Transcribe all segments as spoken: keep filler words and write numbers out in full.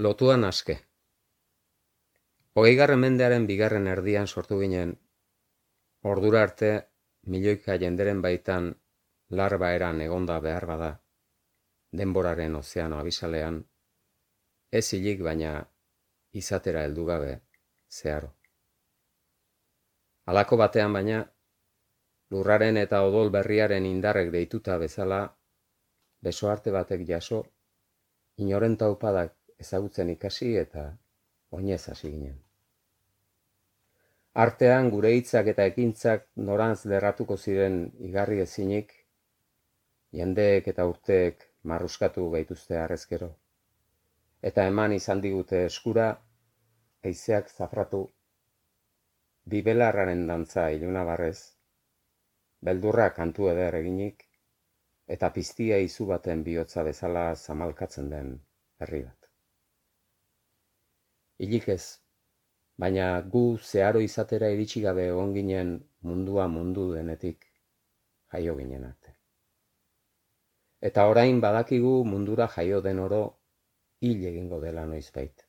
Lotuan aske. Hogeigarren mendearen bigarren erdian sortu ginen, ordura arte milioika jenderen baitan larba eran egonda behar bada, denboraren ozeano abisalean, ez hilik baina izatera heldu gabe zeharo. Halako batean baina, lurraren eta odol berriaren indarrek deituta bezala, besoarte batek jaso, inoren taupadak ezagutzen ikasi eta oinez hasi ginen. Artean gure hitzak eta ekintzak norantz lerratuko ziren igarri ezinik, jendeek eta urteek marruskatu gaituzte harrezkero, eta eman izan digute eskura, haizeak zafratu, bibelarraren dantza iluna barrez, beldurra kantu eder eginik, eta piztia izu baten bihotza bezala zamalkatzen den herri bat. Hilik ez, baina gu zeharo izatera iritsi gabe egon ginen mundua mundu denetik jaio ginen arte. Eta orain badakigu mundura jaio den oro hil egingo dela noizbait.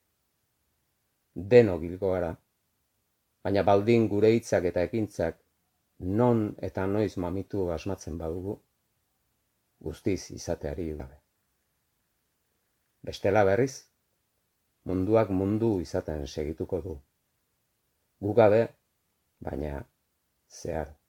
Denok hilko gara, baina baldin gure hitzak eta ekintzak non eta noiz mamitu asmatzen badugu, guztiz izateari gabe. Bestela berriz, munduak mundu izaten segituko du. Gu gabe, baina zeharo.